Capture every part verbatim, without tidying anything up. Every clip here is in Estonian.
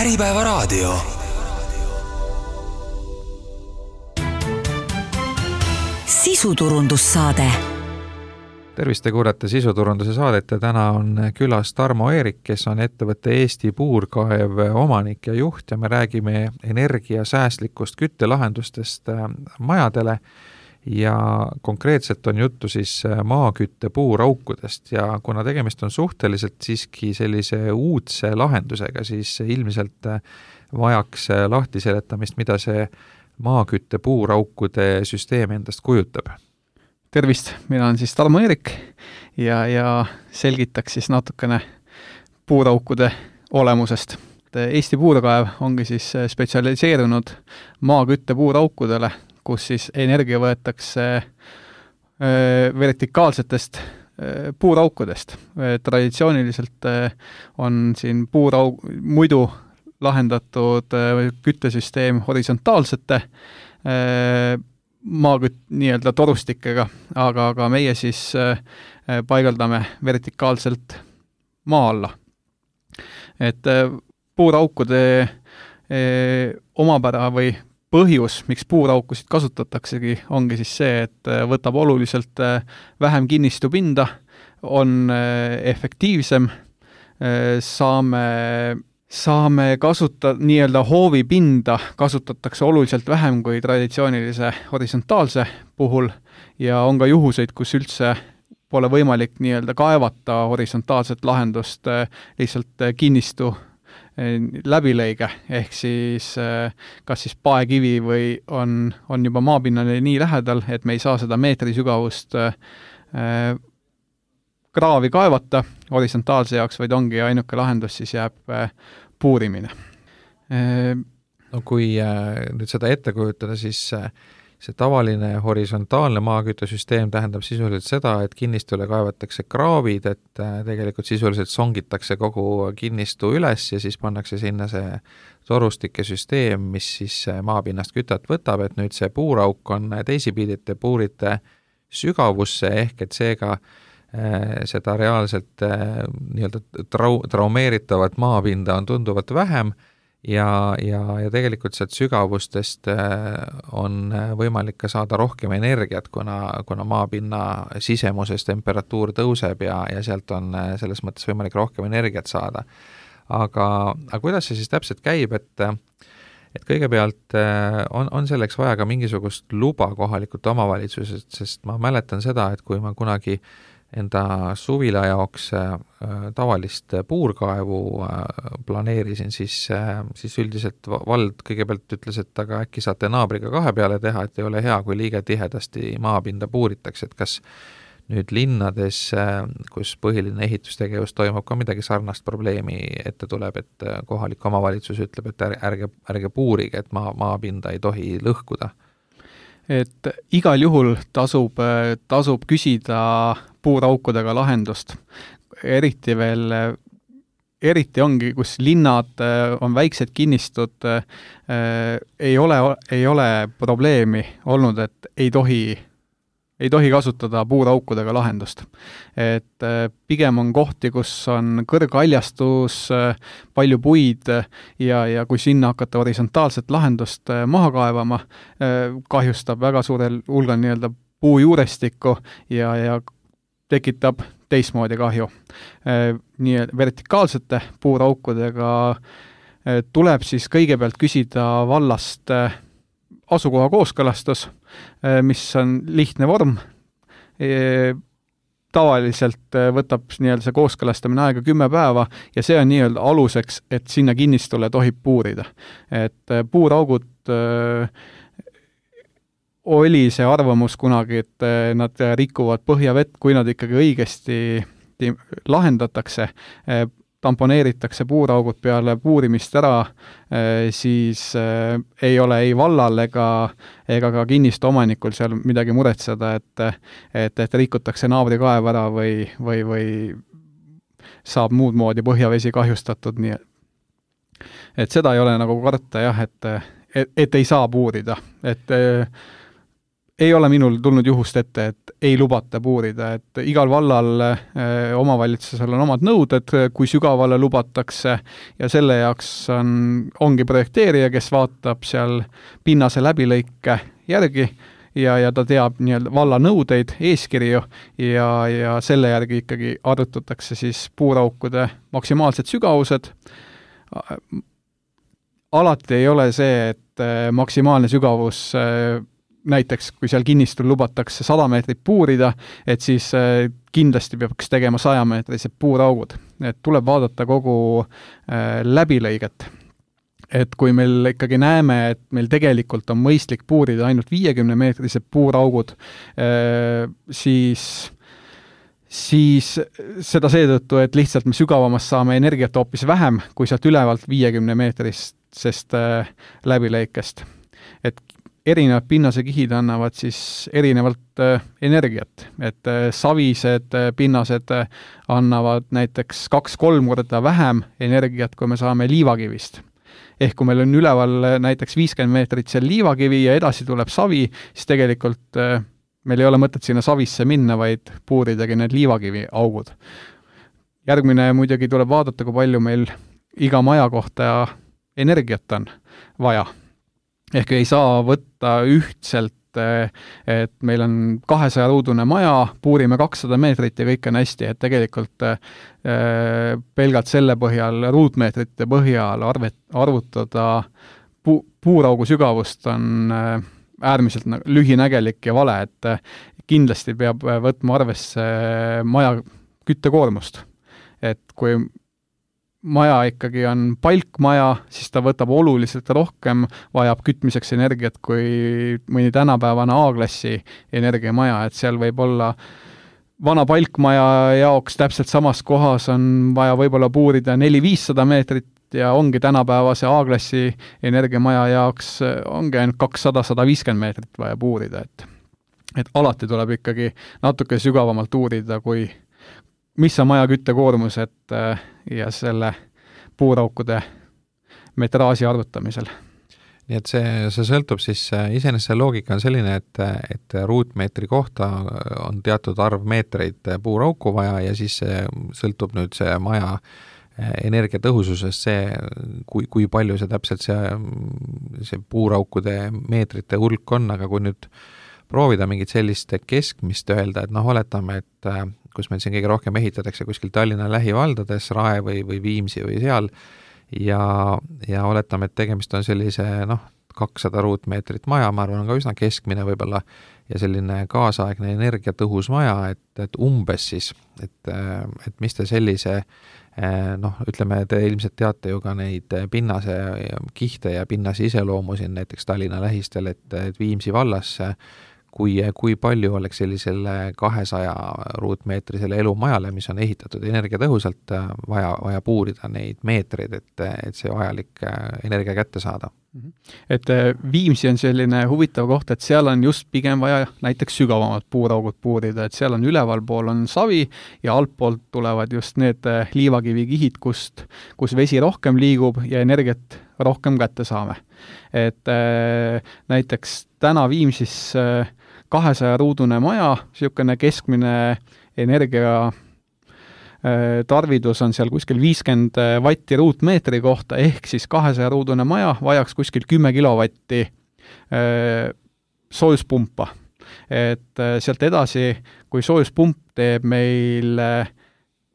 Äripäevaraadio. Sisuturundussaade. Tervist, te kuulate sisuturunduse saadet ja täna on külas Tarmo Eerik, kes on ettevõtte Eesti Puurkaev omanik ja juht ja me räägime energiasäästlikust küttelahendustest majadele ja konkreetselt on juttu siis maakütte puuraukudest ja kuna tegemist on suhteliselt siiski sellise uudse lahendusega, siis ilmselt vajaks lahti seletamist, mida see maakütte puuraukude süsteem endast kujutab. Tervist, mina olen siis Tarmo Eerik ja, ja selgitaks siis natukene puuraukude olemusest. Eesti Puurkaev ongi siis spetsialiseerunud maakütte puuraukudele, kus siis energia võetakse vertikaalsetest puuraukudest. Traditsiooniliselt on siin puurauk, muidu lahendatud küttesüsteem horisontaalsete maakütt nii-öelda torustikega, aga, aga meie siis paigaldame vertikaalselt maa alla. Et puuraukude omapära või põhjus, miks puuraukusid kasutataksegi, ongi siis see, et võtab oluliselt vähem kinnistupinda, on efektiivsem, saame Saame kasutada nii-öelda hoovipinda, kasutatakse oluliselt vähem kui traditsioonilise horisontaalse puhul ja on ka juhuseid, kus üldse pole võimalik nii-öelda kaevata horisontaalset lahendust lihtsalt kinnistu läbilõige, ehk siis kas siis paekivi või on, on juba maapinnale nii lähedal, et me ei saa seda meetri sügavust kraavi kaevata horisontaalse jaoks, vaid ongi ainuke lahendus, siis jääb puurimine. No kui nüüd seda ette kujutada, siis see tavaline horisontaalne maaküttesüsteem tähendab sisuliselt seda, et kinnistule kaevatakse kraavid, et tegelikult sisuliselt songitakse kogu kinnistu üles ja siis pannakse sinna see torustike süsteem, mis siis maapinnast kütat võtab, et nüüd see puurauk on teisipidite puurite sügavusse ehk et seega seda reaalselt nii-öelda trau, traumeeritavat maapinda on tunduvalt vähem ja, ja, ja tegelikult sealt sügavustest on võimalik ka saada rohkem energiat, kuna, kuna maapinna sisemuses temperatuur tõuseb ja, ja sealt on selles mõttes võimalik rohkem energiat saada. Aga, aga kuidas see siis täpselt käib, et et kõigepealt on, on selleks vaja ka mingisugust luba kohalikult omavalitsusest, sest ma mäletan seda, et kui ma kunagi enda suvila jaoks äh, tavalist puurkaevu äh, planeerisin, siis, äh, siis üldiselt vald kõigepealt ütles, et aga äkki saate naabriga kahe peale teha, et ei ole hea, kui liiga tihedasti maapinda puuritakse, et kas nüüd linnades, äh, kus põhiline ehitustegevus toimub, ka midagi sarnast probleemi ette tuleb, et kohalik omavalitsus ütleb, et ärge, ärge puurige, et maa, maapinda ei tohi lõhkuda. Et igal juhul tasub, tasub küsida puuraukudega lahendust. Eriti veel, eriti ongi, kus linnad on väiksed kinnistud, ei ole, ei ole probleemi olnud, et ei tohi, ei tohi kasutada puuraukudega lahendust. Et pigem on kohti, kus on kõrghaljastus, palju puid ja, ja kui sinna hakata horisontaalset lahendust maha kaevama, kahjustab väga suurel hulgal nii-öelda puujuurestikku ja, ja tekitab teistmoodi kahju. Nii vertikaalsete puuraukudega tuleb siis kõigepealt küsida vallast asukoha kooskõlastus, mis on lihtne vorm. Tavaliselt võtab nii-öelda see kooskõlastamine aega kümme päeva ja see on nii-öelda aluseks, et sinna kinnistule tohib puurida. Et puuraugud oli see arvamus kunagi, et nad rikuvad põhjavett, kui nad ikkagi õigesti lahendatakse, tamponeeritakse puuraugud peale puurimist ära, siis ei ole ei vallal ega, ega ka kinnistu omanikul seal midagi muretseda, et, et, et rikutakse naabri kaev ära või, või, või saab muud moodi põhjavesi kahjustatud. Nii. Et seda ei ole nagu karta jah, et, et, et ei saa puurida. Et ei ole minul tulnud juhust ette, et ei lubata puurida, et igal vallal eh, omavalitsusel on omad nõuded, kui sügavale lubatakse ja selle jaoks on, ongi projekteerija, kes vaatab seal pinnase läbilõike järgi ja, ja ta teab nii-öelda valla nõudeid, eeskirju ja, ja selle järgi ikkagi arvutatakse siis puuraukude maksimaalsed sügavused. Alati ei ole see, et maksimaalne sügavus näiteks, kui seal kinnistul lubatakse sada meetrit puurida, et siis kindlasti peaks tegema sajameetrised puuraugud. Et tuleb vaadata kogu läbilõiget. Et kui meil ikkagi näeme, et meil tegelikult on mõistlik puurida ainult viiekümne meetrised puuraugud, siis, siis seda seetõttu, et lihtsalt me sügavamast saame energiat hoopis vähem, kui sealt ülevalt viiekümne meetrisest läbilõikest. Et erinevad pinnasekihid annavad siis erinevalt äh, energiat, et äh, savised äh, pinnased äh, annavad näiteks kaks-kolm korda vähem energiat, kui me saame liivakivist. Ehk kui meil on üleval äh, näiteks viiskümmend meetrit seal liivakivi ja edasi tuleb savi, siis tegelikult äh, meil ei ole mõtet sinna savisse minna, vaid puuridagi need liivakivi augud. Järgmine muidugi tuleb vaadata, kui palju meil iga maja kohta energiat on vaja. Ehk ei saa võtta ühtselt, et meil on kahesaja ruudune maja, puurime kakssada meetrit ja kõik on hästi, et tegelikult pelgalt selle põhjal, ruutmeetrite põhjal arvet, arvutada pu, puuraugu sügavust on äärmiselt lühinägelik ja vale, et kindlasti peab võtma arvesse maja küttekoormust. Et kui maja ikkagi on palkmaja, siis ta võtab oluliselt rohkem, vajab kütmiseks energiat kui mõni tänapäevane A-klassi energiamaja, et seal võib olla vana palkmaja jaoks täpselt samas kohas on vaja võib-olla puurida neli-viissada meetrit ja ongi tänapäevase A-klassi energiamaja jaoks ongi ainult kakssada sada viiskümmend meetrit vaja puurida, et, et alati tuleb ikkagi natuke sügavamalt uurida, kui mis on maja küttekoormus, et ja selle puuraukude metraaži arvutamisel. Nii et see, see sõltub siis, iseenesest see loogika on selline, et, et ruutmeetri kohta on teatud arv meetreid puurauku vaja ja siis see sõltub nüüd see maja energiatõhususest, see, kui, kui palju see täpselt see, see puuraukude meetrite hulk on, aga kui nüüd proovida mingit sellist keskmist öelda, et noh, oletame, et kus meil siin kõige rohkem ehitatakse kuskil Tallinna lähivaldades, Rae või, või Viimsi või seal, ja, ja oletame, et tegemist on sellise noh, kakssada ruutmeetrit maja, ma arvan, on ka üsna keskmine võib-olla, ja selline kaasaegne energiatõhus maja, et, et umbes siis, et, et mis te sellise noh, ütleme, te ilmselt teate ju ka neid pinnase kihte ja pinnase iseloomu siin näiteks Tallinna lähistel, et, et Viimsi vallas kui, kui palju oleks sellisele kahesaja ruutmeetrisele elumajale, mis on ehitatud energiatõhusalt, vaja, vaja puurida neid meetreid, et, et see vajalik energia kätte saada. Et Viimsi on selline huvitav koht, et seal on just pigem vaja näiteks sügavamalt puuraugud puurida, et seal on ülevalpool on savi ja altpoolt tulevad just need liivakivikihid, kust, kus vesi rohkem liigub ja energiat rohkem kätte saame. Et äh, näiteks täna Viimsis äh, kahesaja ruudune maja, niisugune keskmine energia tarvidus on seal kuskil viiskümmend vatti ruutmeetri kohta, ehk siis kahesaja ruudune maja vajaks kuskil kümme kilovatti soojuspumpa. Et sealt edasi, kui soojuspump teeb meil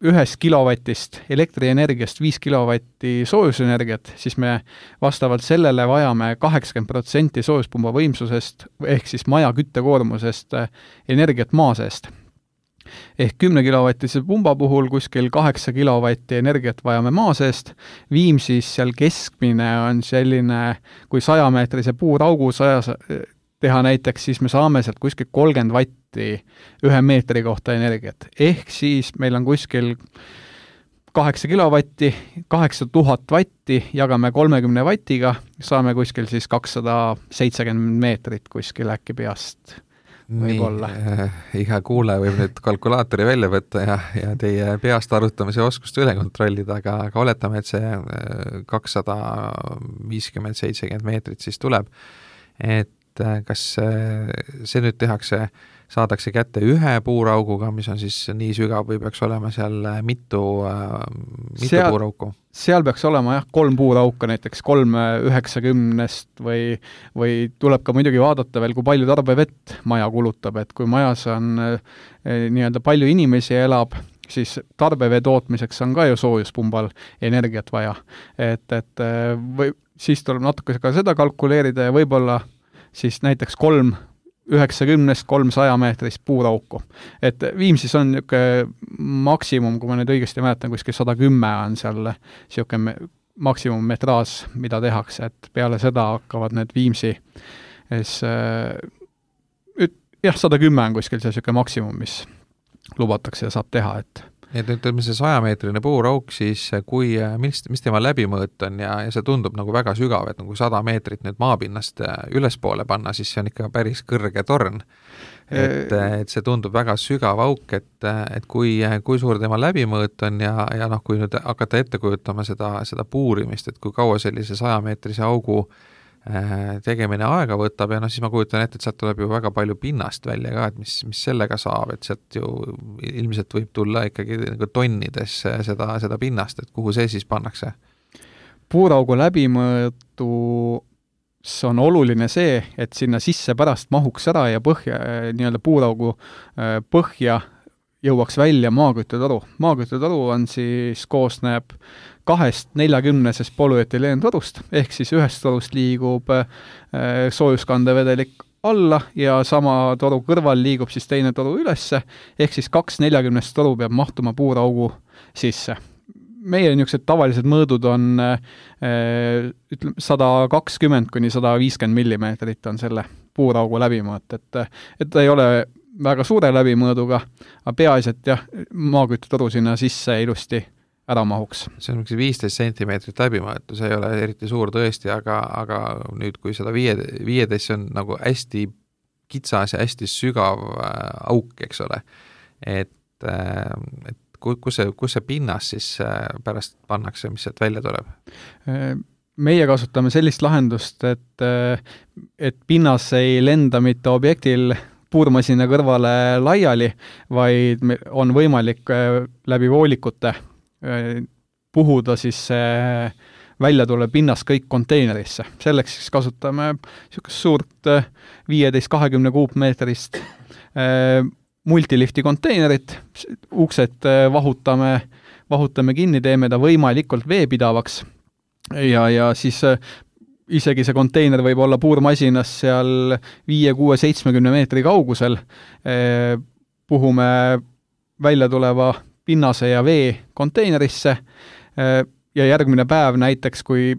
ühest kilovatist elektrienergiast viis kilovatti soojusenergiat, siis me vastavalt sellele vajame kaheksakümmend protsenti soojuspumba võimsusest ehk siis maja küttekoormusest energiat maa seest. Ehk kümne kilovatise pumba puhul kuskil kaheksa kilovatti energiat vajame maa seest. Viimsis seal keskmine on selline, kui sajameetrise puuraugu sajas teha näiteks, siis me saame sealt kuskil kolmkümmend vatti ühe meetri kohta energiat. Ehk siis meil on kuskil kaheksa kilovatti, kaheksa tuhat vatti, jagame kolmekümne vatiga, saame kuskil siis kakssada seitsekümmend meetrit kuskil äkki peast. Nii, äh, iga kuulaja võib nüüd kalkulaatori välja võtta ja, ja teie peast arvutamise oskust üle kontrollida, aga, aga oletame, et see kakssada viiskümmend seitsekümmend meetrit siis tuleb. Et et kas see nüüd tehakse, saadakse kätte ühe puurauguga, mis on siis nii sügav või peaks olema seal mitu, mitu seal, puurauku? Seal peaks olema jah, kolm puurauka, näiteks kolm üheksakümnest või, või tuleb ka muidugi vaadata veel, kui palju tarbevett maja kulutab, et kui majas on nii-öelda palju inimesi elab, siis tarbevee tootmiseks on ka ju soojuspumbal energiat vaja. Et, et või, siis tuleb natuke ka seda kalkuleerida ja võib-olla siis näiteks kolm üheksakümnest kolmsaja meetrist puurauku. Et Viimsis on niisugune maksimum, kui ma nüüd õigesti mäletan, kuskil sada kümme on seal niisugune maksimum metraas, mida tehakse, et peale seda hakkavad need Viimsi es, jah, sada kümme on kuskil see niisugune maksimum, mis lubatakse ja saab teha, et et ütleme see sajameetrine puurauk, siis kui, mis, mis tema läbimõõt on ja, ja see tundub nagu väga sügav, et nagu sada meetrit nüüd maapinnast ülespoole panna, siis see on ikka päris kõrge torn. Et, et see tundub väga sügav auk, et, et kui, kui suur tema läbimõõt on ja, ja noh, kui nüüd hakata ette kujutama seda, seda puurimist, et kui kaua sellise sajameetrise augu tegemine aega võtab ja noh, siis ma kujutan ette, et sealt tuleb ju väga palju pinnast välja ka, et mis, mis sellega saab, et sealt ju ilmselt võib tulla ikkagi nagu tonnides seda, seda pinnast, et kuhu see siis pannakse? Puuraugu läbimõõtus on oluline see, et sinna sisse pärast mahuks ära ja põhja, nii-öelda puuraugu põhja jõuaks välja maaküttetoru. Maaküttetoru on siis, koosneb kahest neljakümnesest polüetüleentorust, ehk siis ühest torust liigub soojuskandevedelik alla ja sama toru kõrval liigub siis teine toru ülesse, ehk siis kaks neljakümnest toru peab mahtuma puuraugu sisse. Meie niisugused tavalised mõõdud on ütleme, sada kakskümmend kuni sada viiskümmend millimeetrit on selle puuraugu läbimõõt, et, et ta ei ole väga suure läbimõõduga, aga peaasi, et jah, maaküttetoru sinna sisse ilusti ära mahuks. See on viisteist sentimeetrit läbimõõtu, see ei ole eriti suur tõesti, aga, aga nüüd, kui seda viie, viieteist on nagu hästi kitsas ja hästi sügav auk, eks ole, et, et kus see, kus see pinnas siis pärast pannakse, mis sealt välja tuleb? Meie kasutame sellist lahendust, et, et pinnas ei lenda mitte objektil puurmasina kõrvale laiali, vaid on võimalik läbi voolikute puhuda siis välja tuleb pinnas kõik konteinerisse. Selleks siis kasutame niisugust suurt viieteist kahekümne kuupmeetrist multilifti konteinerit, uksed vahutame, vahutame kinni, teeme ta võimalikult veepidavaks ja, ja siis isegi see konteiner võib olla puurmasinas seal viie, kuue, seitsmekümne meetri kaugusel, puhume välja tuleva pinnase ja vee konteinerisse ja järgmine päev näiteks, kui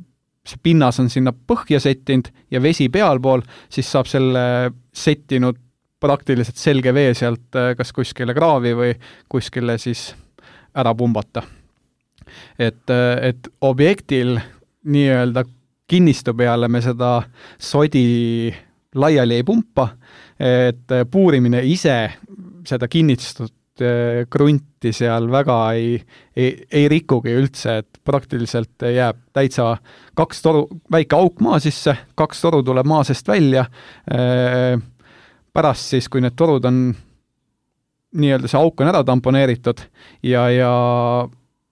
see pinnas on sinna põhja settinud ja vesi pealpool, siis saab selle settinud praktiliselt selge vee sealt kas kuskile kraavi või kuskile siis ära pumbata. Et, et objektil nii-öelda kinnistu peale me seda sodi laiali ei pumpa, et puurimine ise seda kinnistut krunti seal väga ei, ei, ei rikugi üldse, et praktiliselt jääb täitsa kaks toru, väike auk maa sisse, kaks toru tuleb maa seest välja, pärast siis, kui need torud on nii-öelda see auk on ära tamponeeritud ja, ja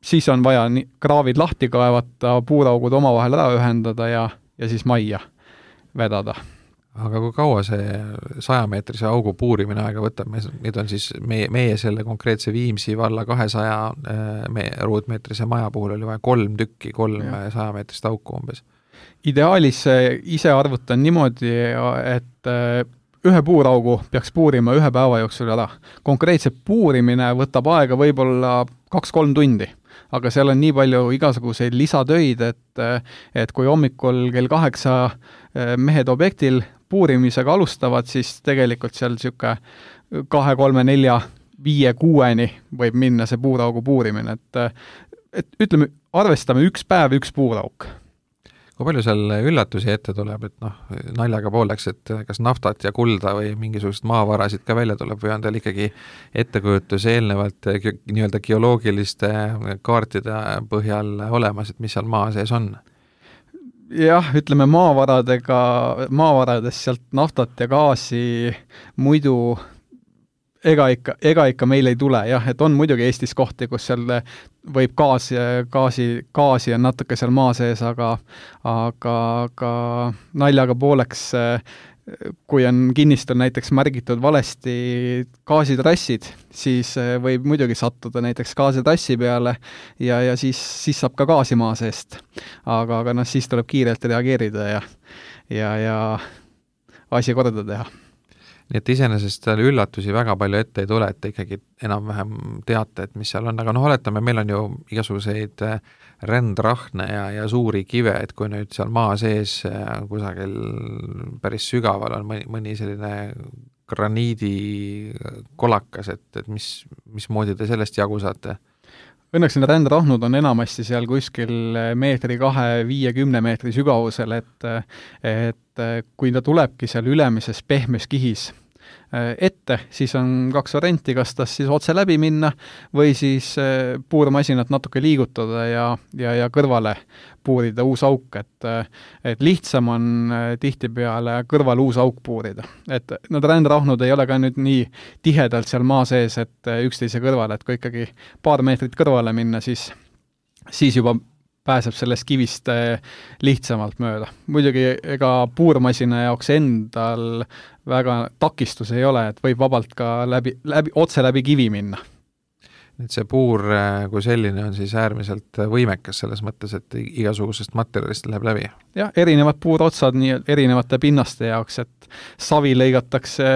siis on vaja nii, kraavid lahti kaevata, puuraugud omavahel ära ühendada ja, ja siis majja vedada. Aga kui kaua see sajameetrise augu puurimine aega võtab, nüüd on siis meie, meie selle konkreetse Viimsi valla kahesaja ruutmeetrise maja puhul oli vaja kolm tükki, kolm sajameetrist auku umbes. Ideaalis ise arvutan niimoodi, et ühe puuraugu peaks puurima ühe päeva jooksul ära. Konkreetse puurimine võtab aega võib-olla kaks-kolm tundi, aga seal on nii palju igasuguseid lisatöid, et, et kui hommikul kell kaheksa mehed objektil puurimisega alustavad, siis tegelikult seal niisugune kahe, kolme, nelja, viie, kuueni võib minna see puuraugu puurimine, et, et ütleme, arvestame üks päev, üks puurauk. Kui palju seal üllatusi ette tuleb, et noh, naljaga pooleks, et kas naftat ja kulda või mingisugust maavarasid ka välja tuleb või on teil ikkagi ettekujutus eelnevalt nii-öelda geoloogiliste kaartide põhjal olemas, et mis seal maa sees on? jah, ütleme maavaradega, maavaradest sealt naftat ja gaasi muidu ega ikka, ega ikka meil ei tule, jah, et on muidugi Eestis kohti, kus seal võib gaasi, gaasi, gaasi on natuke seal maa sees, aga aga, aga naljaga pooleks, kui on kinnistul näiteks märgitud valesti gaasitrassid, siis võib muidugi sattuda näiteks gaasitrassi peale ja, ja siis, siis saab ka gaasi maa seest. Aga, aga noh, siis tuleb kiirelt reageerida ja, ja, ja asi korda teha. Nii et iseenesest seal üllatusi väga palju ette ei tule, et te ikkagi enam-vähem teate, et mis seal on, aga noh, oletame, meil on ju igasuguseid rändrahne ja, ja suuri kive, et kui nüüd seal maa sees kusagil päris sügaval on mõni, mõni selline graniidi kolakas, et, et mis, mismoodi te sellest jagu saate? Õnneks need rändrahnud on enamasti seal kuskil meetri kahe, viiekümne meetri sügavusel, et, et kui ta tulebki seal ülemises pehmes kihis ette, siis on kaks varianti, kas tas siis otse läbi minna või siis puurmasinat natuke liigutada ja, ja, ja kõrvale puurida uus auk, et, et lihtsam on tihtipeale kõrval uus auk puurida. Et need rändrahnud ei ole ka nüüd nii tihedalt seal maa sees, et üksteise kõrvale, et kui ikkagi paar meetrit kõrvale minna, siis, siis juba pääseb sellest kivist lihtsamalt mööda. Muidugi ega puurmasina jaoks endal väga takistus ei ole, et võib vabalt ka läbi, läbi, otse läbi kivi minna. Nüüd see puur kui selline on siis äärmiselt võimekas selles mõttes, et igasugusest materjalist läheb läbi. Jah, erinevad puurotsad nii erinevate pinnaste jaoks, et savi lõigatakse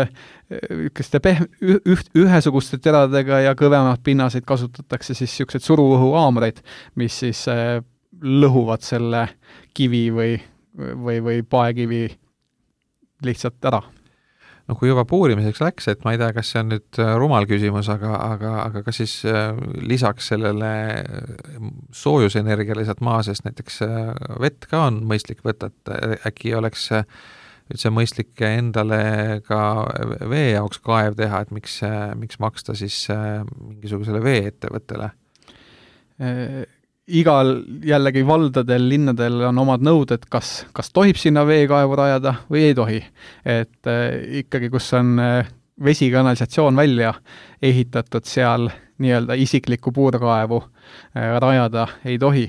pehm, üht, ühesuguste teradega ja kõvemad pinnaseid kasutatakse siis niisugused suruõhuaamreid, mis siis lõhuvad selle kivi või, või, või paekivi lihtsalt ära. No kui juba puurimiseks läks, et ma ei tea, kas see on nüüd rumal küsimus, aga, aga, aga kas siis lisaks sellele soojusenergia lisalt maa seest näiteks vett ka on mõistlik võtta, et äkki oleks üldse mõistlik endale ka vee jaoks kaev teha, et miks, miks maksta siis mingisugusele vee-ettevõttele? Igal jällegi valdadel, linnadel on omad nõuded, kas, kas tohib sinna veekaevu rajada või ei tohi. Et äh, ikkagi, kus on äh, vesikanalisatsioon välja ehitatud, seal nii-öelda isiklikku puurkaevu äh, rajada ei tohi.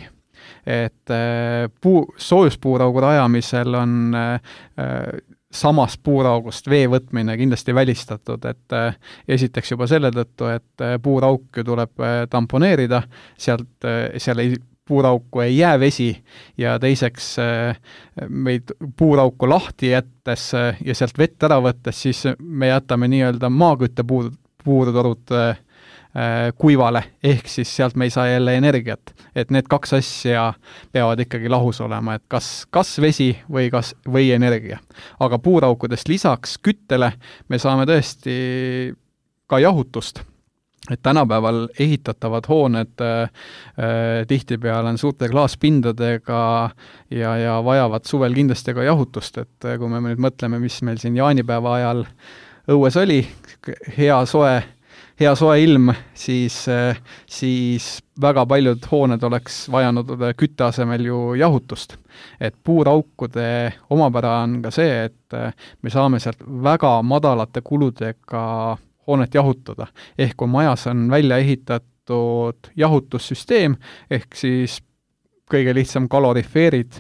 Et äh, puu, soojuspuuraugu rajamisel on äh, samast puuraugust vee võtmine kindlasti välistatud, et äh, esiteks juba selle tõttu, et äh, puurauk ju tuleb äh, tamponeerida, sealt äh, seal ei, puurauku ei jää vesi ja teiseks äh, meid puurauku lahti jättes äh, ja sealt vett ära võttes, siis me jätame nii-öelda maakütte puur, puurtorud äh, kuivale, ehk siis sealt me ei saa jälle energiat. Et need kaks asja peavad ikkagi lahus olema, et kas, kas vesi või, kas, või energia. Aga puuraukudest lisaks küttele me saame tõesti ka jahutust. Et tänapäeval ehitatavad hooned äh, tihtipeale on suurte klaaspindadega ja, ja vajavad suvel kindlasti ka jahutust, et kui me nüüd mõtleme, mis meil siin jaanipäeva ajal õues oli, hea soe hea soe ilm, siis, siis väga paljud hooned oleks vajanud kütte asemel ju jahutust. Et puuraukude omapära on ka see, et me saame sealt väga madalate kuludega hoonet jahutada. Ehk kui majas on välja ehitatud jahutussüsteem, ehk siis kõige lihtsam kalorifeerid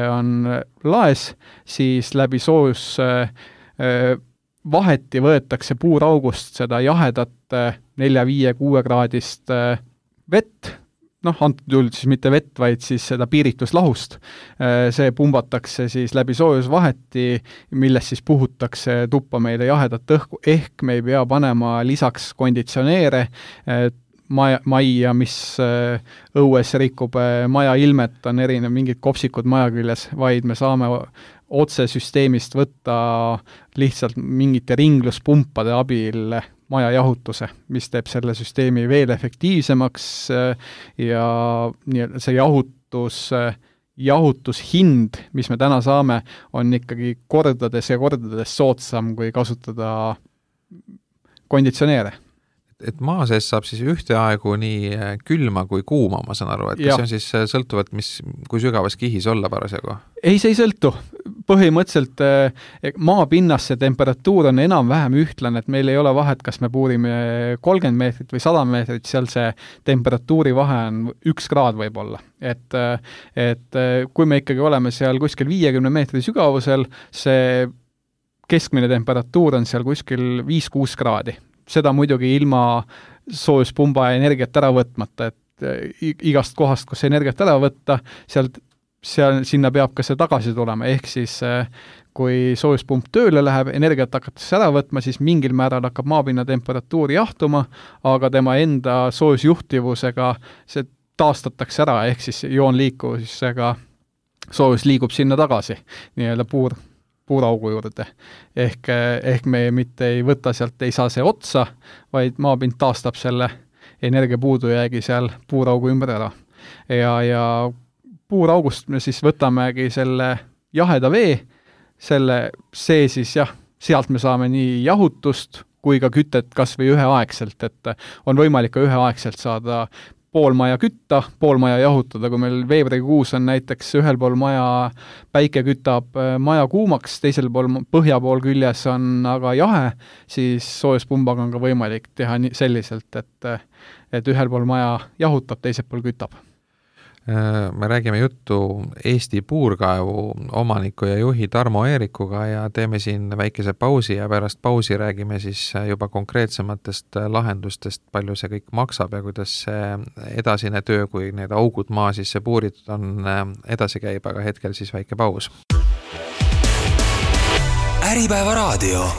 on laes, siis läbi soojus vaheti võetakse puuraugust seda jahedat nelja, viie, kuue kraadist vett, noh, antud juhul siis mitte vett, vaid siis seda piirituslahust. See pumbatakse siis läbi soojusvaheti, milles siis puhutakse tuppa meile jahedat õhku, ehk me ei pea panema lisaks konditsioneere maja, majja, mis õues rikub maja ilmet, on erinev mingid kopsikud maja küljes, vaid me saame otse süsteemist võtta lihtsalt mingite ringluspumpade abil maja jahutuse, mis teeb selle süsteemi veel efektiivsemaks ja nii, see jahutus, jahutushind, mis me täna saame, on ikkagi kordades ja kordades soodsam, kui kasutada konditsioneere. et maa sees saab siis ühteaegu nii külma kui kuuma, ma saan aru, et kas see on siis sõltuvalt, mis, kui sügavas kihis olla parasjagu? Ei, see ei sõltu. Põhimõtteliselt maapinnas see temperatuur on enam-vähem ühtlane, et meil ei ole vahet, kas me puurime kolmkümmend meetrit või sada meetrit, seal see temperatuuri vahe on üks kraad võib-olla. Et, et kui me ikkagi oleme seal kuskil viiekümne meetri sügavusel, see keskmine temperatuur on seal kuskil viis kuus kraadi. Seda muidugi ilma soojuspumba energiat ära võtmata, et igast kohast, kus energiat ära võtta, sealt, seal, sinna peab ka see tagasi tulema, ehk siis kui soojuspump tööle läheb, energiat hakatakse ära võtma, siis mingil määral hakkab maapinna temperatuur jahtuma, aga tema enda soojusjuhtivusega see taastatakse ära, ehk siis joonliikuvusega soojus liigub sinna tagasi, nii-öelda puur, puuraugu juurde. Ehk, ehk me mitte ei võta sealt, ei saa see otsa, vaid maapind taastab selle energiapuudujäägi seal puuraugu ümber ära. Ja, ja puuraugust me siis võtamegi selle jaheda vee, selle see siis jah, sealt me saame nii jahutust kui ka kütet kas või üheaegselt, et on võimalik ka üheaegselt saada pool maja kütta, pool maja jahutada, kui meil veebruarikuus on näiteks ühel pool maja päike kütab maja kuumaks, teisel pool põhja pool küljes on aga jahe, siis soojuspumbaga on ka võimalik teha selliselt, et, et ühel pool maja jahutab, teisel pool kütab. Me räägime juttu Eesti puurkaevu omaniku ja juhi Tarmo Eerikuga ja teeme siin väikese pausi ja pärast pausi räägime siis juba konkreetsematest lahendustest, palju see kõik maksab ja kuidas see edasine töö, kui need augud maa sisse puuritud on, edasi käib, aga hetkel siis väike paus. Äripäeva raadio.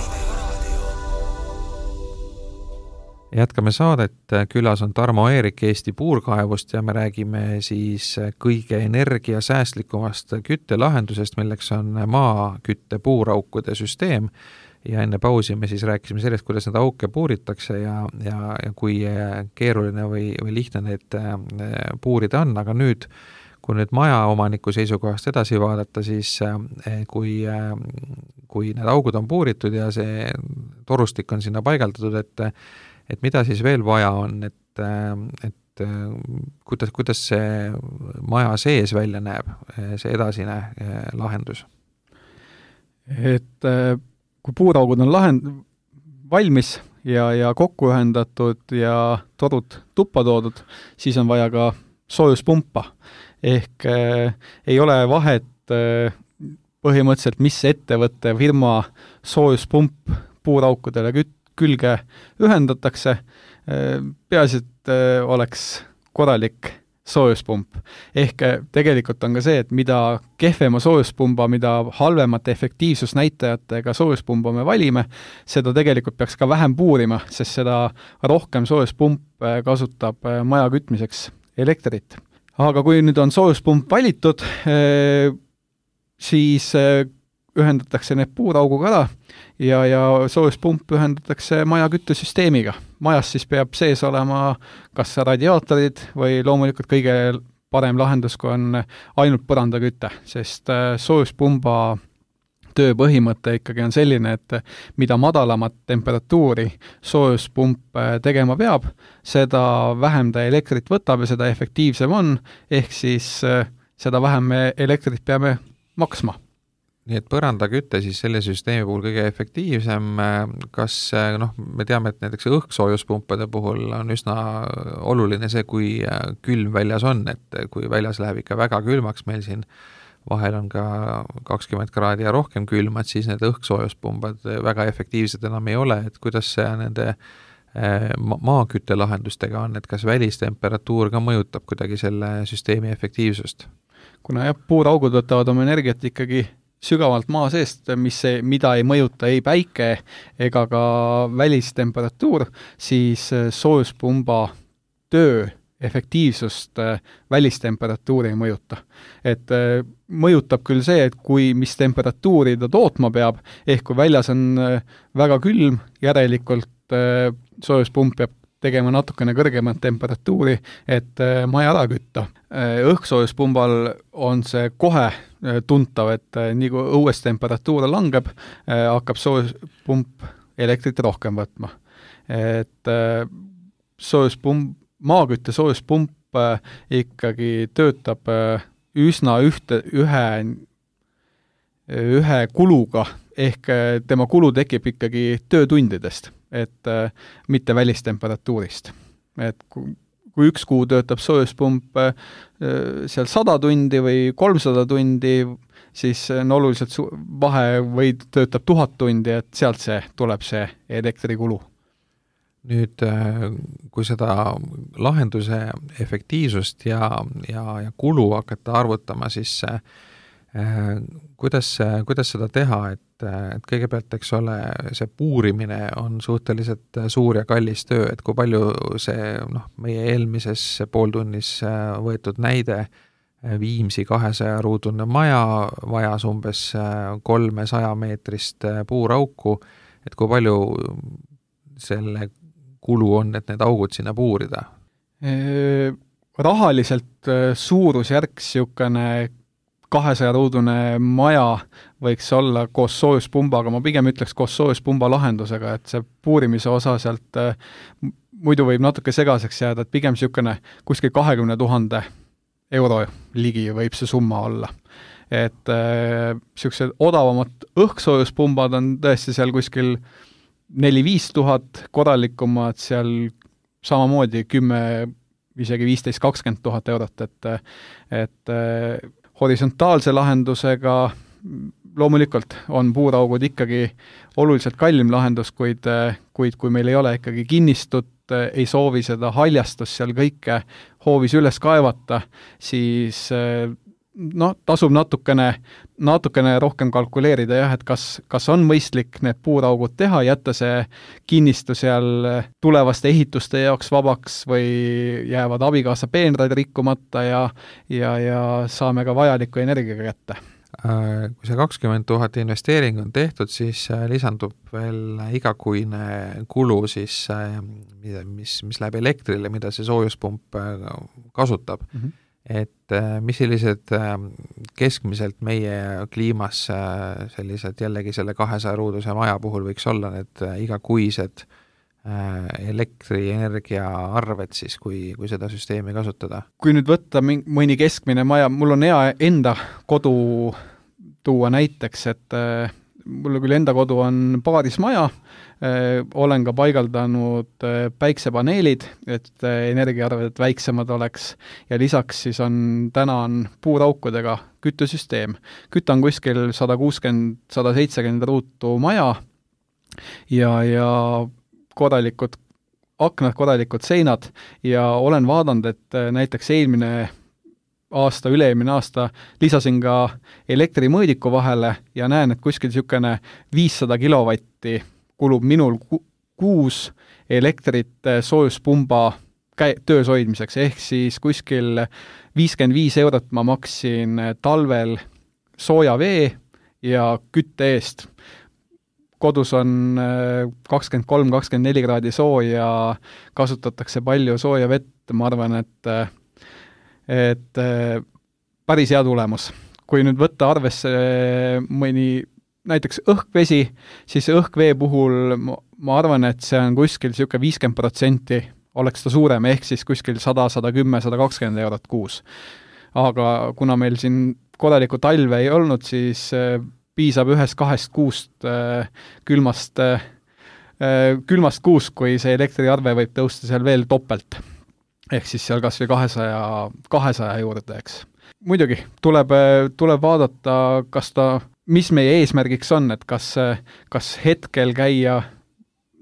Jätkame saadet, külas on Tarmo Eerik Eesti puurkaevust ja me räägime siis kõige energiasäästlikumast küttelahendusest, milleks on maakütte puuraukude süsteem ja enne pausi me siis rääkisime sellest, kuidas need auke puuritakse ja, ja, ja kui keeruline või, või lihtne need puurida on, aga nüüd, kui nüüd maja omaniku seisukohast edasi vaadata, siis kui, kui need augud on puuritud ja see torustik on sinna paigaldatud, et et mida siis veel vaja on, et, et kuidas, kuidas see maja sees välja näeb, see edasine lahendus? Et kui puuraugud on lahend, valmis ja, ja kokku ühendatud ja torud tuppa toodud, siis on vaja ka soojuspumpa. Ehk äh, ei ole vahet äh, põhimõtteliselt, mis ettevõtte firma soojuspump puuraukudele küt-, külge ühendatakse, peaasi, et oleks korralik soojuspump. Ehk tegelikult on ka see, et mida kehvema soojuspumba, mida halvemate efektiivsusnäitajatega soojuspumba me valime, seda tegelikult peaks ka vähem puurima, sest seda rohkem soojuspump kasutab maja kütmiseks elektrit. Aga kui nüüd on soojuspump valitud, siis ühendatakse need puurauguga ära ja, ja soojuspump ühendatakse maja küttesüsteemiga. Majas siis peab sees olema kas radiaatorid või loomulikult kõige parem lahendus, kui on ainult põrandaküte, sest soojuspumba töö põhimõte ikkagi on selline, et mida madalamat temperatuuri soojuspump tegema peab, seda vähem ta elektrit võtab ja seda efektiivsem on, ehk siis seda vähem me elektrit peame maksma. Nii et põrandakütte siis selle süsteemi puhul kõige efektiivsem, kas noh, me teame, et näiteks õhksoojuspumpada puhul on üsna oluline see, kui külm väljas on, et kui väljas läheb ikka väga külmaks, meil siin vahel on ka kakskümmend kraadi ja rohkem külmad, siis need õhksoojuspunbad väga efektiivsed enam ei ole, et kuidas see nende maakütte lahendustega on, et kas välistemperatuur ka mõjutab kuidagi selle süsteemi efektiivsust? Kuna jah, puuraugud võtavad oma energiat ikkagi sügavalt maa seest, mis ei, mida ei mõjuta ei päike ega ka välistemperatuur, siis soojuspumba töö efektiivsust välistemperatuuri ei mõjuta. Et mõjutab küll see, et kui mis temperatuuri ta tootma peab, ehk kui väljas on väga külm, järelikult soojuspump peab tegema natukene kõrgemat temperatuuri, et maja ära kütta. Õhksoojuspunbal on see kohe tuntav, et nii kui õues temperatuur langeb, hakkab soojuspump elektrit rohkem võtma. Et soojuspump, maakütte soojuspump ikkagi töötab üsna ühte, ühe, ühe kuluga, ehk tema kulu tekib ikkagi töötundidest, et mitte välistemperatuurist. Et kui, kui üks kuu töötab soojuspump seal sada tundi või kolmsada tundi, siis on oluliselt su- vahe või töötab tuhat tundi, et sealt see tuleb see elektrikulu. Nüüd, kui seda lahenduse efektiivsust ja, ja, ja kulu hakata arvutama, siis äh, kuidas, kuidas seda teha, et, et kõigepealt, eks ole, see puurimine on suhteliselt suur ja kallis töö, et kui palju see, noh, meie eelmises pooltunnis võetud näide, Viimsi kahesaja ruudune maja vajas umbes kolmesaja meetrist puurauku, et kui palju selle kulu on, et need augud sinna puurida? Rahaliselt suurusjärk siukene kahesaja ruudune maja võiks olla koos soojuspumbaga, ma pigem ütleks koos soojuspumba lahendusega, et see puurimise osa sealt muidu võib natuke segaseks jääda, et pigem siukene kuskil kahekümne tuhande euro ligi võib see summa olla. Et äh, siuksed odavamad õhksoojuspunbad on tõesti seal kuskil neli-viis tuhat, korralikumad seal samamoodi kümme, isegi viisteist kakskümmend tuhat eurot, et, et äh, horisontaalse lahendusega loomulikult on puuraugud ikkagi oluliselt kallim lahendus, kuid, kuid kui meil ei ole ikkagi kinnistut, ei soovi seda haljastust seal kõike hoovis üles kaevata, siis noh, tasub natukene, natukene rohkem kalkuleerida jah, et kas, kas on mõistlik need puuraugud teha, jätta see kinnistu seal tulevaste ehituste jaoks vabaks või jäävad abikaasa peenrad rikkumata ja, ja, ja saame ka vajaliku energiaga kätte. Kui see kakskümmend tuhat investeering on tehtud, siis lisandub veel igakuine kulu, siis, mis, mis läheb elektrile, mida see soojuspump kasutab. Mm-hmm. Et mis sellised keskmiselt meie kliimas sellised jällegi selle kahesaja ruuduse maja puhul võiks olla need igakuised elektrienergia arved siis, kui, kui seda süsteemi kasutada? Kui nüüd võtta mõni keskmine maja, mul on hea enda kodu tuua näiteks, et äh, mul küll enda kodu on paarismaja, äh, olen ka paigaldanud äh, päiksepaneelid, et äh, energiaarved väiksemad oleks ja lisaks siis on, täna on puuraukudega küttesüsteem. Kütta on kuskil sada kuuskümmend, sada seitsekümmend ruutu maja ja, ja korralikud aknad, korralikud seinad ja olen vaadanud, et näiteks eelmine aasta, üle-eelmine aasta lisasin ka elektrimõõdiku vahele ja näen, et kuskil niisugune viissada kilovatti kulub minul ku- kuus elektrit soojuspumba käi- töös hoidmiseks, ehk siis kuskil viiskümmend viis eurot ma maksin talvel sooja vee ja kütte eest. Kodus on kakskümmend kolm kakskümmend neli kraadi sooja, kasutatakse palju sooja vett, ma arvan, et, et päris hea tulemus. Kui nüüd võtta arvesse mõni näiteks õhkvesi, siis õhkvee puhul ma arvan, et see on kuskil niisugune viiskümmend protsenti oleks ta suurem, ehk siis kuskil sada, sada kümme, sada kakskümmend eurot kuus. Aga kuna meil siin korralikku talve ei olnud, siis piisab ühest kahest kuust äh, külmast, äh, külmast kuust, kui see elektriarve võib tõusta seal veel topelt. Ehk siis seal kas või kahesaja, kahesaja juurde, eks. Muidugi, tuleb, tuleb vaadata, kas ta, mis meie eesmärgiks on, et kas, kas hetkel käia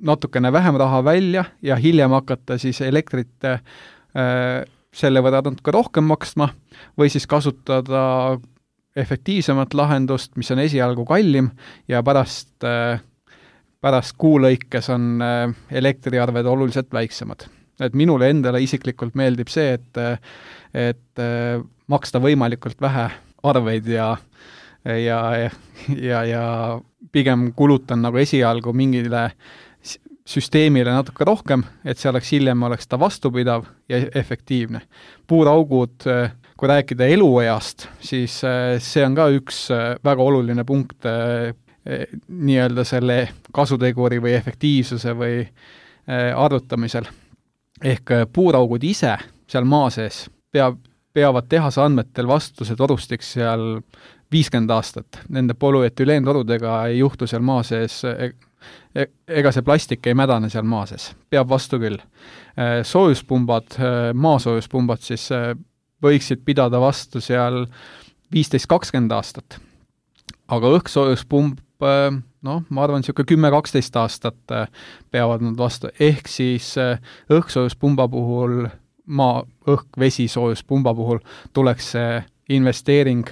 natukene vähem raha välja ja hiljem hakata siis elektrit äh, selle võrra natuke rohkem maksma või siis kasutada efektiivsemat lahendust, mis on esialgu kallim ja pärast, pärast kuulõikes on elektriarved oluliselt väiksemad. Et minule endale isiklikult meeldib see, et, et maksta võimalikult vähe arveid ja, ja, ja, ja pigem kulutan nagu esialgu mingile süsteemile natuke rohkem, et see oleks hiljem oleks ta vastupidav ja efektiivne. Puuraugud, kui rääkida elueast, siis see on ka üks väga oluline punkt nii-öelda selle kasuteguri või efektiivsuse või arvutamisel. ehk puuraugud ise seal maa sees peab, peavad tehase andmetel vastuse torustiks seal viiskümmend aastat. Nende polüetüleentorudega ei juhtu seal maa sees, ega see plastik ei mädane seal maa sees. Peab vastu küll. Soojuspumbad, maasoojuspumbad siis võiksid pidada vastu seal viisteist kakskümmend aastat. Aga õhksoojuspumb, noh, ma arvan, niisugune kümme kaksteist aastat peavad nad vastu. Ehk siis õhksoojuspumba puhul, maa, õhk, vesi soojuspumba puhul tuleks see investeering,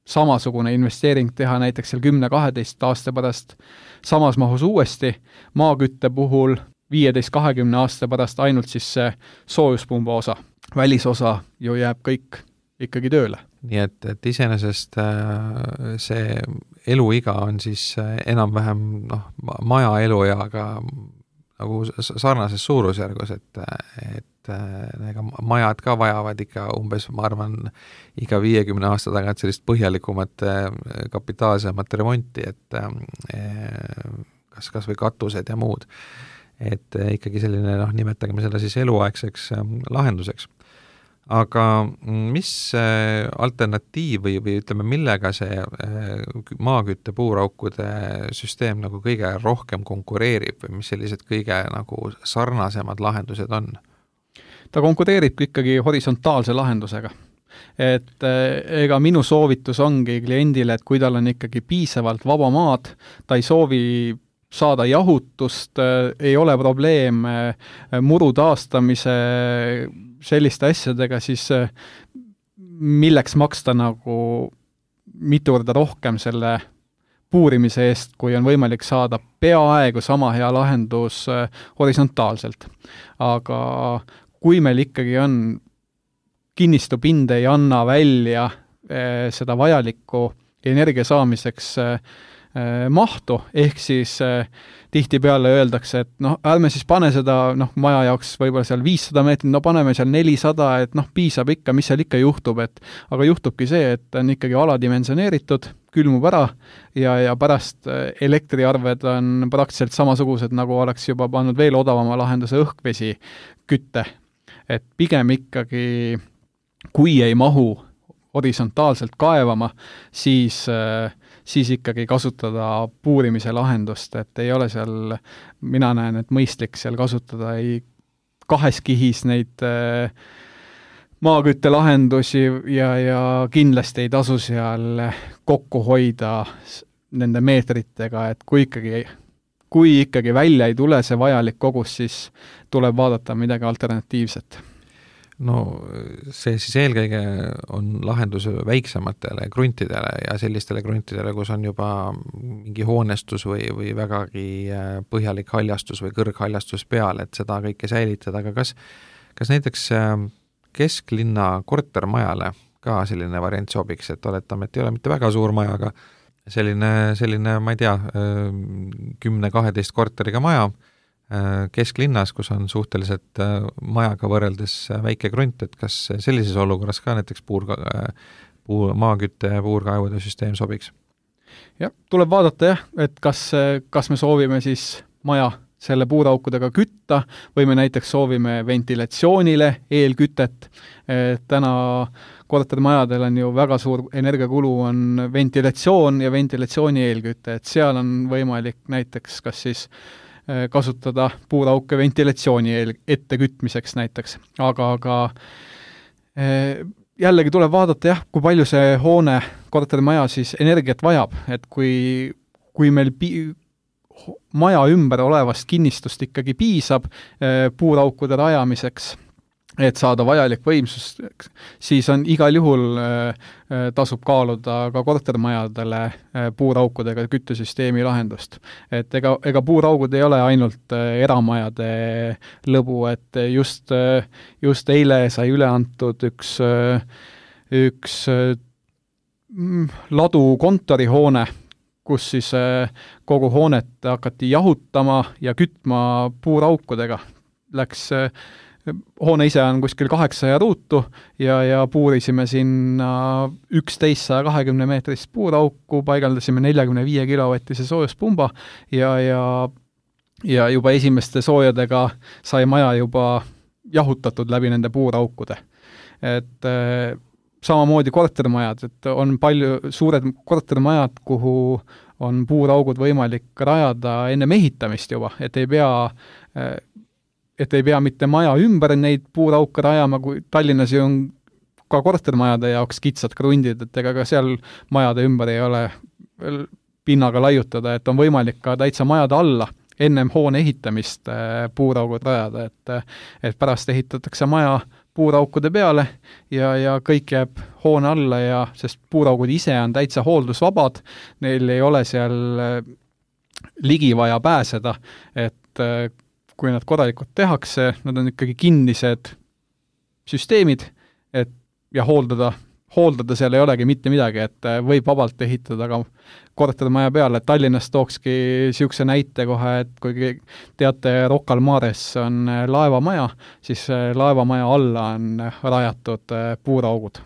samasugune investeering teha näiteks seal kümme kaheteist aasta pärast samas mahus uuesti, maakütte puhul viieteist kahekümne aasta pärast ainult siis see soojuspumba osa. Välisosa ju jääb kõik ikkagi tööle. Nii et, et iseenesest see eluiga on siis enam-vähem noh, maja elueaga nagu sarnases suurusjärgus, et, et ega majad ka vajavad ikka umbes, ma arvan, iga viiekümne aasta tagant sellist põhjalikumat kapitaalsemat remonti, et kas, kas või katused ja muud. Et ikkagi selline, noh, nimetageme seda siis eluaegseks lahenduseks. Aga mis alternatiiv või, või ütleme, millega see maakütte puuraukude süsteem nagu kõige rohkem konkureerib või mis sellised kõige nagu sarnasemad lahendused on? Ta konkureerib ikkagi horisontaalse lahendusega. Et ega minu soovitus ongi kliendile, et kui tal on ikkagi piisavalt vaba maad, ta ei soovi saada jahutust, ei ole probleem muru taastamise selliste asjadega, siis milleks maksta nagu mitu korda rohkem selle puurimise eest, kui on võimalik saada peaaegu sama hea lahendus horisontaalselt. Aga kui meil ikkagi on kinnistupind ei anna välja seda vajalikku energia saamiseks mahtu, ehk siis eh, tihtipeale öeldakse, et noh, ärme siis pane seda noh, maja jaoks võib-olla seal viissada meetrit, no paneme seal nelisada, et noh, piisab ikka, mis seal ikka juhtub, et aga juhtubki see, et on ikkagi aladimensioneeritud, külmub ära ja, ja pärast elektriarved on praktiliselt samasugused, nagu oleks juba pannud veel odavama lahenduse õhkvesi kütte. Et pigem ikkagi, kui ei mahu horisontaalselt kaevama, siis äh, siis ikkagi kasutada puurimise lahendust, et ei ole seal, mina näen, et mõistlik seal kasutada ei kahes kihis neid äh, maakütte lahendusi ja, ja kindlasti ei tasu seal kokku hoida nende meetritega, et kui ikkagi, kui ikkagi välja ei tule see vajalik kogus, siis tuleb vaadata midagi alternatiivset. No see siis eelkõige on lahendus väiksematele kruntidele ja sellistele kruntidele, kus on juba mingi hoonestus või, või vägagi põhjalik haljastus või kõrghaljastus peal, et seda kõike säilitada, aga kas, kas näiteks kesklinna kortermajale ka selline variant sobiks, et oletame, et ei ole mitte väga suur maja, aga selline, selline, ma ei tea, kümne-kaheteist korteriga maja, kesklinnas, kus on suhteliselt majaga võrreldes väike krunt, et kas sellises olukorras ka näiteks puur, puur, maakütte ja puurkaevude süsteem sobiks? Jah, tuleb vaadata jah, et kas, kas me soovime siis maja selle puuraukudega kütta või me näiteks soovime ventilatsioonile eelkütet. Täna kortermajadel on ju väga suur energiakulu on ventilatsioon ja ventilatsiooni eelküte, et seal on võimalik näiteks kas siis kasutada puurauke ventilatsiooni ette kütmiseks näiteks. Aga, aga jällegi tuleb vaadata jah, kui palju see hoone, kortermaja siis energiat vajab, et kui, kui meil pi- maja ümber olevast kinnistust ikkagi piisab puuraukude rajamiseks, et saada vajalik võimsus, siis on igal juhul tasub kaaluda ka kortermajadele puuraukudega küttesüsteemi lahendust. Et ega, ega puuraugud ei ole ainult eramajade lõbu, et just, just eile sai üle antud üks, üks ladu kontorihoone, kus siis kogu hoonet hakati jahutama ja kütma puuraukudega. Läks hoone ise on kuskil kaheksasaja ruutu ja, ja puurisime sinna üksteist saja kahekümne meetrist puurauku, paigaldasime neljakümne viie kilovatise soojuspumba ja, ja, ja juba esimeste soojadega sai maja juba jahutatud läbi nende puuraukude. Et äh, samamoodi kortermajad, et on palju suured kortermajad, kuhu on puuraugud võimalik rajada enne ehitamist juba, et ei pea äh, et ei pea mitte maja ümber neid puurauke rajama, kui Tallinnas ju on ka kortermajade jaoks kitsad krundid, et ega ka seal majade ümber ei ole pinnaga laiutada, et on võimalik ka täitsa majade alla ennem hoone ehitamist puuraugud rajada, et, et pärast ehitatakse maja puuraukude peale ja, ja kõik jääb hoone alla ja sest puuraugud ise on täitsa hooldusvabad, neil ei ole seal ligi vaja pääseda, et kui nad korralikult tehakse, nad on ikkagi kinnised süsteemid, et ja hooldada, hooldada seal ei olegi mitte midagi, et võib vabalt ehitada ka kortermaja peale, et Tallinnas tookski niisuguse näite kohe, et kui teate, Rocca al Mares on laevamaja, siis laevamaja alla on rajatud puuraugud.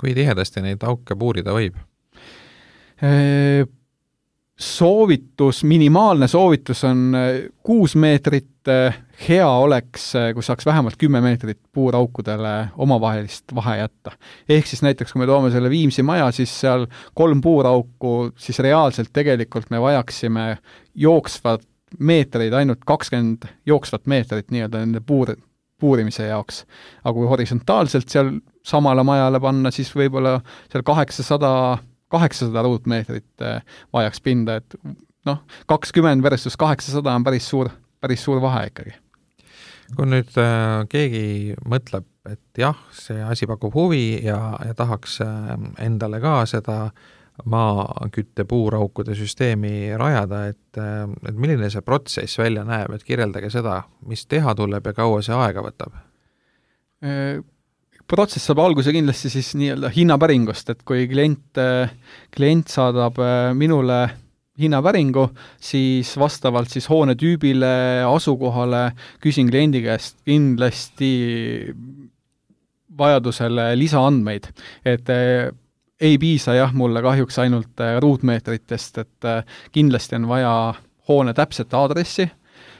Kui tihedasti neid auke puurida võib? Soovitus, minimaalne soovitus on kuus meetrit, hea oleks, kui saaks vähemalt kümme meetrit puuraukudele omavahelist vahe jätta. Ehk siis näiteks, kui me toome selle Viimsi maja, siis seal kolm puurauku, siis reaalselt tegelikult me vajaksime jooksvat meetreid, ainult kakskümmend jooksvat meetrit nii-öelda nende puur, puurimise jaoks. Aga kui horisontaalselt seal samale majale panna, siis võib-olla seal kaheksasada kaheksasada ruutmeetrit vajaks pinda, et noh, kakskümmend versus kaheksasada on päris suur, päris suur vahe ikkagi. Kui nüüd äh, keegi mõtleb, et jah, see asi pakub huvi ja, ja tahaks äh, endale ka seda maakütte puuraukude süsteemi rajada, et, äh, et milline see protsess välja näeb, et kirjeldage seda, mis teha tuleb ja kaua see aega võtab? E protsess saab alguse kindlasti siis nii-öelda hinnapäringust, et kui klient, klient saadab minule hinnapäringu, siis vastavalt siis hoone tüübile, asukohale küsin kliendi käest kindlasti vajadusele lisaandmeid, et ei piisa jah, mulle kahjuks ainult ruutmeetritest, et kindlasti on vaja hoone täpset aadressi,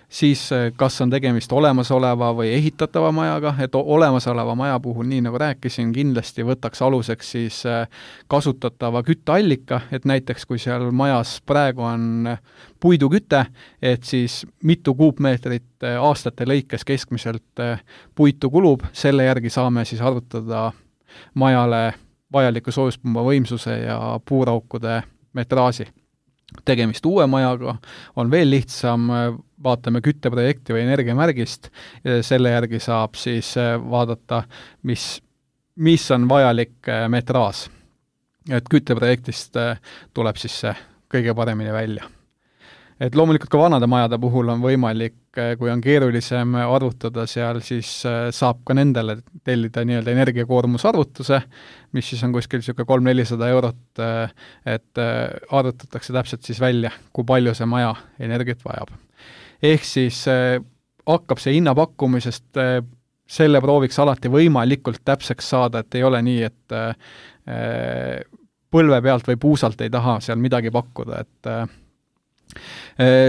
siis kas on tegemist olemasoleva või ehitatava majaga, et olemasoleva maja puhul, nii nagu rääkisin, kindlasti võtaks aluseks siis kasutatava kütteallika, et näiteks kui seal majas praegu on puiduküte, et siis mitu kuupmeetrit aastate lõikes keskmiselt puitu kulub, selle järgi saame siis arvutada majale vajaliku soojuspumba võimsuse ja puuraukude metraaži. Tegemist uue majaga on veel lihtsam, vaatame kütteprojekti või energiamärgist, selle järgi saab siis vaadata, mis, mis on vajalik metraas. Et kütteprojektist tuleb siis see kõige paremini välja. Et loomulikult ka vanade majade puhul on võimalik, kui on keerulisem arvutada seal, siis saab ka nendele tellida nii-öelda energiakoormusarvutuse, mis siis on kuskil niisugune kolm nelisada eurot, et arvutatakse täpselt siis välja, kui palju see maja energiat vajab. Ehk siis hakkab see hinnapakkumisest selle prooviks alati võimalikult täpseks saada, et ei ole nii, et põlve pealt või puusalt ei taha seal midagi pakkuda, et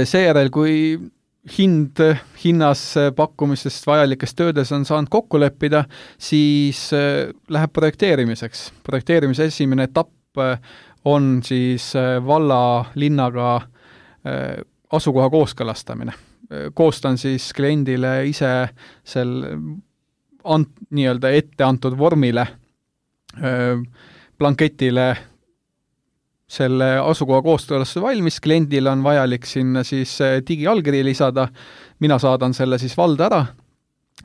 seejärel, kui hind, hinnas pakkumisest vajalikest töödes on saanud kokku leppida, siis läheb projekteerimiseks. Projekteerimise esimene etapp on siis valla linnaga asukoha kooskõlastamine. Koostan siis kliendile ise sel ant, nii-öelda ette antud vormile, blanketile selle asukoha kooskõlastuse valmis, kliendil on vajalik sinna siis digiallkiri lisada, mina saadan selle siis valda ära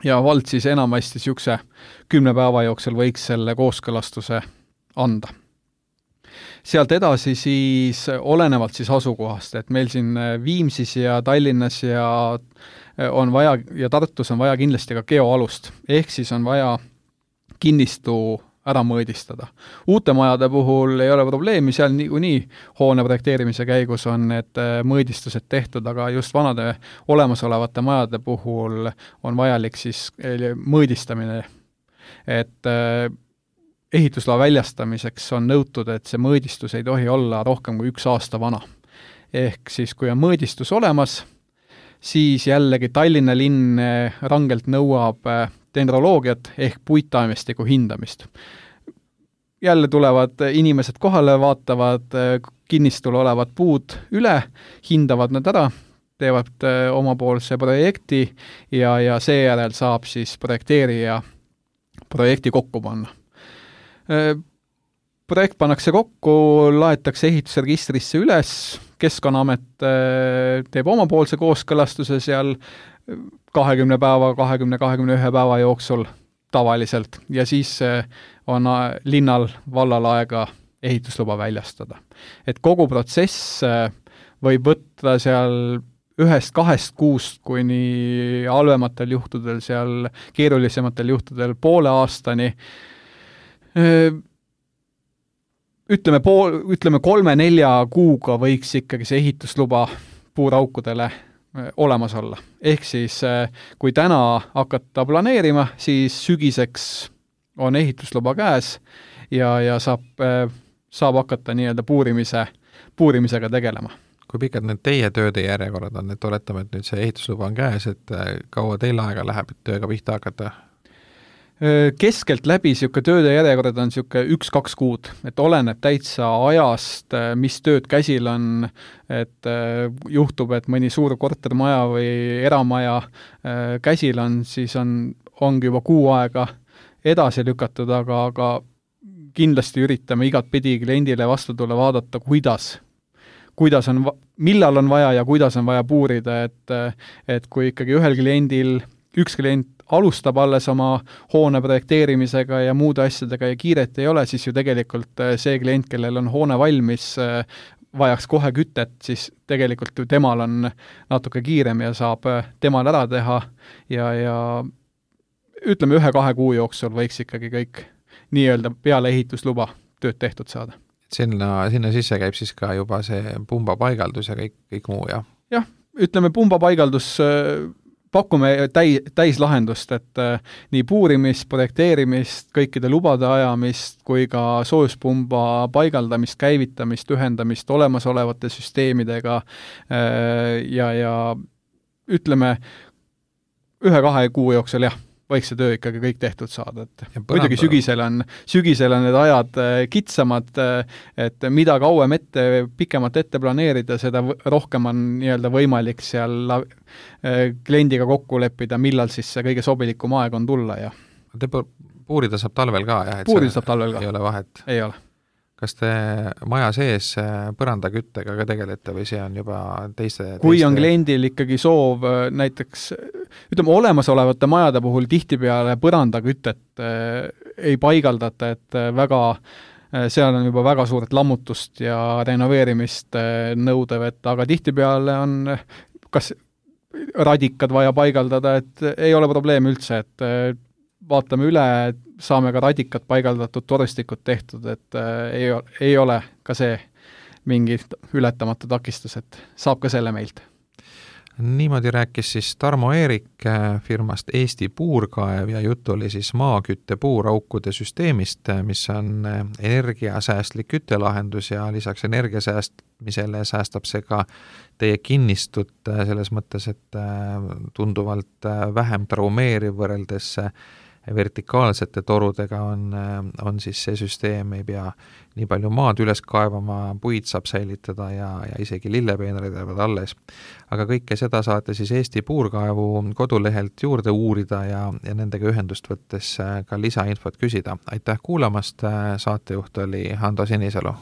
ja vald siis enamasti niisuguse kümne päeva jooksul võiks selle kooskõlastuse anda. Sealt edasi siis olenevalt siis asukohast, et meil siin Viimsis ja Tallinnas ja on vaja ja Tartus on vaja kindlasti ka geoalust, ehk siis on vaja kinnistu ära mõõdistada. Uute majade puhul ei ole probleemi, seal niikuinii hoone projekteerimise käigus on need mõõdistused tehtud, aga just vanade olemasolevate majade puhul on vajalik siis mõõdistamine, et ehitusloa väljastamiseks on nõutud, et see mõõdistus ei tohi olla rohkem kui üks aasta vana. Ehk siis, kui on mõõdistus olemas, siis jällegi Tallinna linn rangelt nõuab dendroloogiat ehk puittaimestiku hindamist. Jälle tulevad inimesed kohale, vaatavad kinnistul olevad puud üle, hindavad nad ära, teevad omapoolse projekti ja, ja seejärel saab siis projekteerija projekti kokku panna. Projekt pannakse kokku, laetakse ehitusregistrisse üles, Keskkonnaamet teeb omapoolse kooskõlastuse seal kahekümne päeva, kahekümne, kahekümne ühe päeva jooksul tavaliselt ja siis on linnal vallal aega ehitusluba väljastada. Et kogu protsess võib võtta seal ühest kahest kuust kuni halvematel juhtudel, seal keerulisematel juhtudel poole aastani. Ütleme, pool, ütleme kolme-nelja kuuga võiks ikkagi see ehitusluba puuraukudele olemas olla. Ehk siis, kui täna hakata planeerima, siis sügiseks on ehitusluba käes ja, ja saab, saab hakata nii-öelda puurimise, puurimisega tegelema. Kui pikad need teie tööde järjekorrad on, et oletame, et nüüd see ehitusluba on käes, et kaua teil aega läheb, et tööga pihta hakata? Keskelt läbi siuke tööde järjekorrad on siuke üks-kaks kuud, et oleneb täitsa ajast, mis tööd käsil on, et juhtub, et mõni suur kortermaja või eramaja käsil on, siis on, ongi juba kuu aega edasi lükatud, aga, aga kindlasti üritame igat pidi kliendile vastu tulla, vaadata, kuidas kuidas on, millal on vaja ja kuidas on vaja puurida, et, et kui ikkagi ühel kliendil, üks klient alustab alles oma hoone projekteerimisega ja muude asjadega ja kiiret ei ole, siis ju tegelikult see klient, kellel on hoone valmis, vajaks kohe kütet, siis tegelikult ju temal on natuke kiirem ja saab temal ära teha ja, ja ütleme ühe-kahe kuu jooksul võiks ikkagi kõik nii-öelda peale ehitusluba tööd tehtud saada. Sinna, sinna sisse käib siis ka juba see pumba paigaldus ja kõik, kõik muu, jah? Jah, ütleme pumba paigaldus, pakume täi, täislahendust, et nii puurimist, projekteerimist, kõikide lubade ajamist, kui ka soojuspumba paigaldamist, käivitamist, ühendamist olemasolevate süsteemidega ja, ja ütleme ühe-kahe kuu jooksul, jah, võiks see töö ikkagi kõik tehtud saada, et muidugi sügisel on, sügisel on need ajad kitsamad, et mida kauem ette, pikemalt ette planeerida, seda rohkem on nii-öelda võimalik seal kliendiga kokku leppida, millal siis see kõige sobilikum aeg on tulla. Ja. Te puurida saab talvel ka, jah? Puurida saab talvel ka. Ei ole vahet? Ei ole. Kas te maja sees põrandaküttega ka tegelete või see on juba teiste... Kui teiste... on kliendil ikkagi soov näiteks, ütleme, olemasolevate majade puhul tihtipeale põrandakütet ei paigaldata, et väga, seal on juba väga suuret lammutust ja renoveerimist nõudev, et aga tihtipeale on kas radikad vaja paigaldada, et ei ole probleem üldse, et vaatame üle, saame ka radikat paigaldatud torustikud tehtud, et ei, ei ole ka see mingi ületamatu takistus, et saab ka selle meilt. Niimoodi rääkis siis Tarmo Eerik firmast Eesti Puurkaev ja jutt oli siis maakütte puuraukude süsteemist, mis on energiasäästlik küttelahendus ja lisaks energiasäästmisele säästab see ka teie kinnistut selles mõttes, et tunduvalt vähem traumeeriv võrreldes vertikaalsete torudega on, on siis see süsteem, ei pea nii palju maad üles kaevama, puid saab säilitada ja, ja isegi lillepeenrid jäävad alles. Aga kõike seda saate siis Eesti Puurkaevu kodulehelt juurde uurida ja, ja nendega ühendust võttes ka lisainfot küsida. Aitäh kuulamast, saatejuht oli Hando Sinisalu.